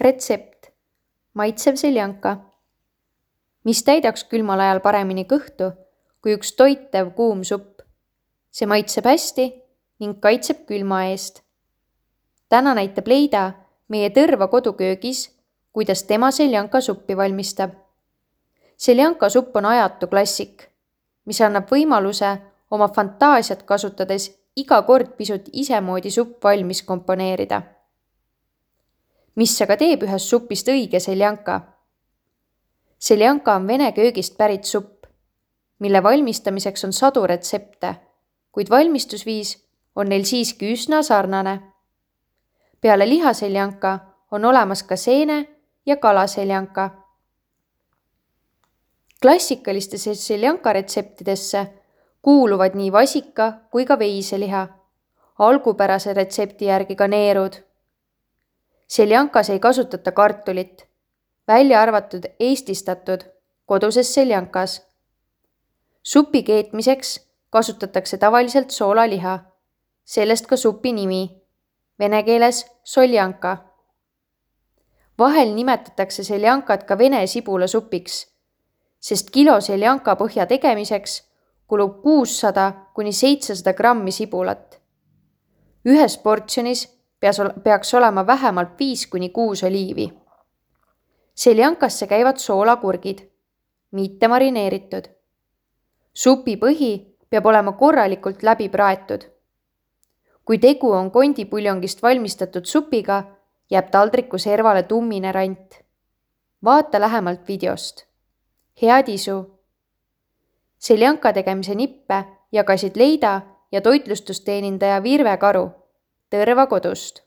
Retsept. Maitsev seljanka, mis täidaks külmal ajal paremini kõhtu kui üks toitev kuum supp. See maitseb hästi ning kaitseb külma eest. Täna näitab Leida meie Tõrva koduköögis, kuidas tema seljanka suppi valmistab. Seljanka supp on ajatu klassik, mis annab võimaluse oma fantaasiat kasutades iga kord pisut isemoodi supp valmis komponeerida. Mis aga teeb ühest supist õige seljanka? Seljanka on vene köögist pärit supp, mille valmistamiseks on sadu retsepte, kuid valmistusviis on neil siiski üsna sarnane. Peale lihaseljanka on olemas ka seene- ja kalaseljanka. Klassikalistesse seljanka retseptidesse kuuluvad nii vasika kui ka veiseliha, algupärase retsepti järgi ka neerud. Seljankas ei kasutata kartulit, välja arvatud eestistatud koduses seljankas. Supi keetmiseks kasutatakse tavaliselt soolaliha, sellest ka supi nimi, vene keeles soljanka. Vahel nimetatakse seljankat ka vene sibulasupiks, sest kilo seljanka põhja tegemiseks kulub 600–700 grammi sibulat. Ühes portsjonis peaks olema vähemalt 5–6 oliivi. Seljankasse käivad soolakurgid, mitte marineeritud. Supi põhi peab olema korralikult läbi praetud. Kui tegu on kondipuljongist valmistatud supiga, jääb taldriku servale tummine rant. Vaata lähemalt videost. Head isu! Seljanka tegemise nippe jagasid Leida ja toitlustusteenindaja Virve Karu Tõrva kodust.